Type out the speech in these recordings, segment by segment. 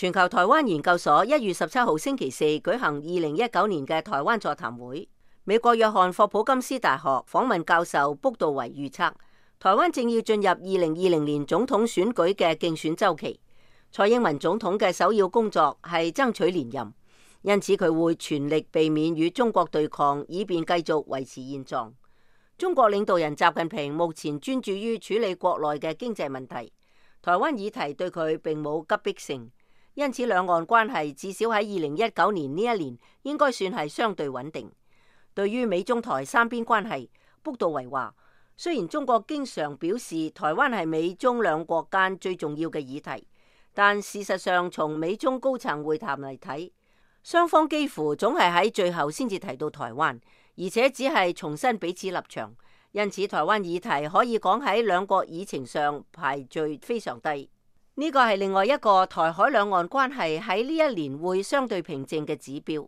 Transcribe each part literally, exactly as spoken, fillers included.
全球台灣研究所一月十七號星期四舉行二零一九年嘅台灣座談會。美國約翰霍普金斯大學訪問教授卜道維預測，台灣正要進入二零二零年總統選舉嘅競選週期。蔡英文總統嘅首要工作係爭取連任，因此佢會全力避免與中國對抗，以便繼續維持現狀。中國領導人習近平目前專注於處理國內嘅經濟問題，台灣議題對佢並冇急迫性。因此，兩岸關係至少喺二零一九年呢一年應該算係相對穩定。對於美中台三邊關係，卜道維話：雖然中國經常表示台灣係美中兩國間最重要嘅議題，但事實上從美中高層會談嚟睇，雙方幾乎總係喺最後先至提到台灣，而且只係重申彼此立場。因此，台灣議題可以講喺兩國議程上排序非常低。呢個係另外一個台海兩岸關係喺呢一年會相對平靜嘅指標。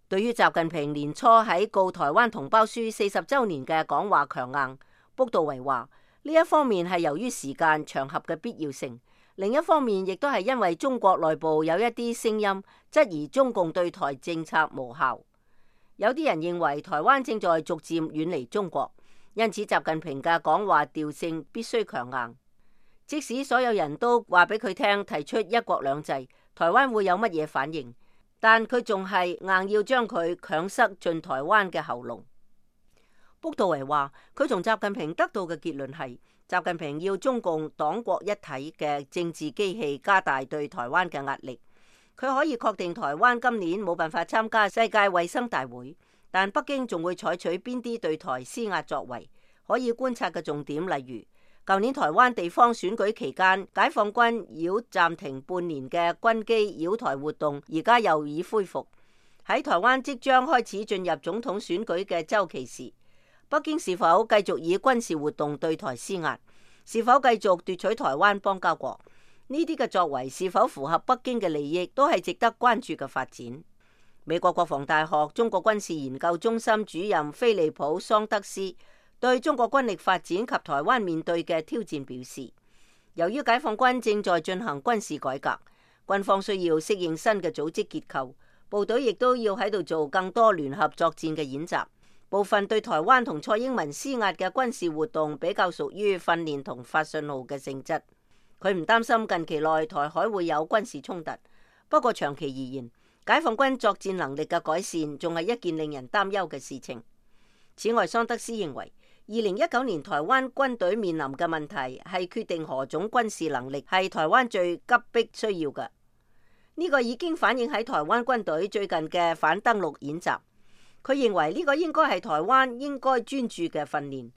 對於習近平年初喺告台灣同胞書四十週年嘅講話強硬，卜道維話呢一方面係由於時間場合嘅必要性，另一方面亦都係因為中國內部有一啲聲音質疑中共對台政策無效。有啲人認為台灣正在逐漸遠離中國，因此習近平嘅講話調性必須強硬。即使所有人都話俾佢聽提出一國兩制，台灣會有乜嘢反應？但佢仲係硬要將佢強塞進台灣嘅喉嚨。卜道維話：佢從習近平得到嘅結論係，習近平要中共黨國一體嘅政治機器加大對台灣嘅壓力。佢可以確定台灣今年冇辦法參加世界衛生大會，但北京仲會採取邊啲對台施壓作為？可以觀察嘅重點例如，舊年台灣地方選舉期間，解放軍繞暫停半年嘅軍機繞台活動，而家又已恢復。喺台灣即將開始進入總統選舉嘅週期時，北京是否繼續以軍事活動對台施壓？是否繼續奪取台灣邦交國？呢啲嘅作為是否符合北京嘅利益，都係值得關注嘅發展。美國國防大學中國軍事研究中心主任菲利普桑德斯對中國軍力發展及台灣面對嘅挑戰表示，由於解放軍正在進行軍事改革，軍方需要適應新嘅組織結構，部隊亦都要喺度做更多聯合作戰嘅演習。部分對台灣同蔡英文施壓嘅軍事活動比較屬於訓練同發信號嘅性質。佢唔擔心近期內台海會有軍事衝突，不過長期而言，解放軍作戰能力嘅改善仲係一件令人擔憂嘅事情。此外，桑德斯認為，二零一九年台灣軍隊面臨嘅問題係決定何種軍事能力係台灣最急迫需要嘅。呢個已經反映喺台灣軍隊最近嘅反登陸演習。佢認為呢個應該係台灣應該專注嘅訓練。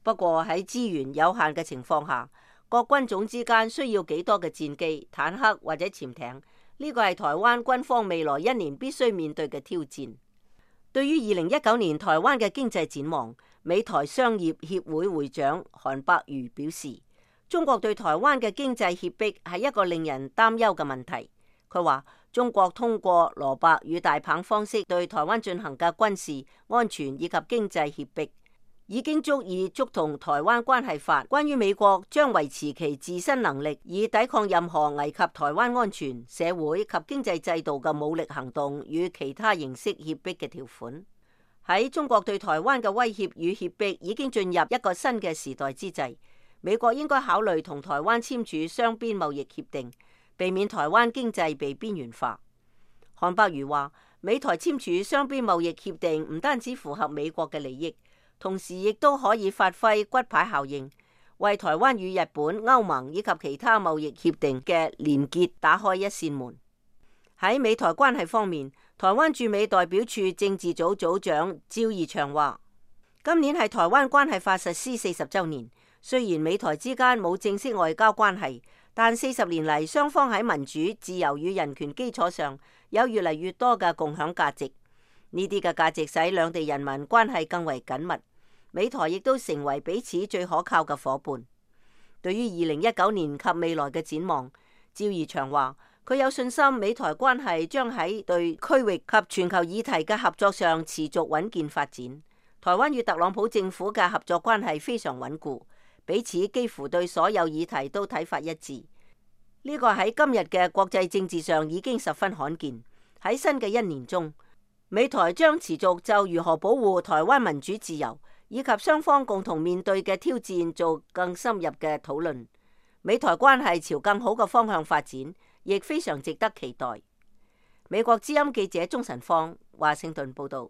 不過喺資源有限嘅情況下，各軍種之間需要幾多嘅戰機、坦克或者潛艇？呢個係台灣軍方未來一年必須面對嘅挑戰。對於二零一九年台灣嘅經濟展望，美台商業協會會長韓伯瑜表示，中國對台灣嘅經濟脅迫係一個令人擔憂嘅問題。佢話，中國通過蘿蔔與大棒方式對台灣進行嘅軍事、安全以及經濟脅迫，已經足以觸同台灣關係法關於美國將維持其自身能力以抵抗任何危及台灣安全、社會及經濟制度嘅武力行動與其他形式脅迫嘅條款。喺中國對台灣嘅威脅與脅迫已經進入一個新嘅時代之際，美國應該考慮同台灣簽署雙邊貿易協定，避免台灣經濟被邊緣化。韓伯瑜話，美台簽署雙邊貿易協定唔單止符合美國嘅利益，同時亦都可以發揮骨牌效應，為台灣與日本、歐盟以及其他貿易協定嘅連結打開一扇門。喺美台關係方面，台灣駐美代表處政治組組長趙怡翔話，今年係台灣關係法實施四十週年，雖然美台之間冇正式外交關係，但四十年嚟，雙方喺民主、自由與人權基礎上有越嚟越多嘅共享價值。呢啲嘅價值使兩地人民關係更為緊密，美台亦都成為彼此最可靠嘅夥伴。對於二零一九年及未來嘅展望，趙怡翔話，佢有信心美台關係將喺對區域及全球議題嘅合作上持續穩健發展。台灣與特朗普政府嘅合作關係非常穩固，彼此幾乎對所有議題都睇法一致。呢個喺今日嘅國際政治上已經十分罕見。喺新嘅一年中，美台將持續就如何保護台灣民主自由以及雙方共同面對嘅挑戰做更深入嘅討論。美台關係朝更好嘅方向發展，亦非常值得期待。美國之音記者鍾晨芳，華盛頓報道。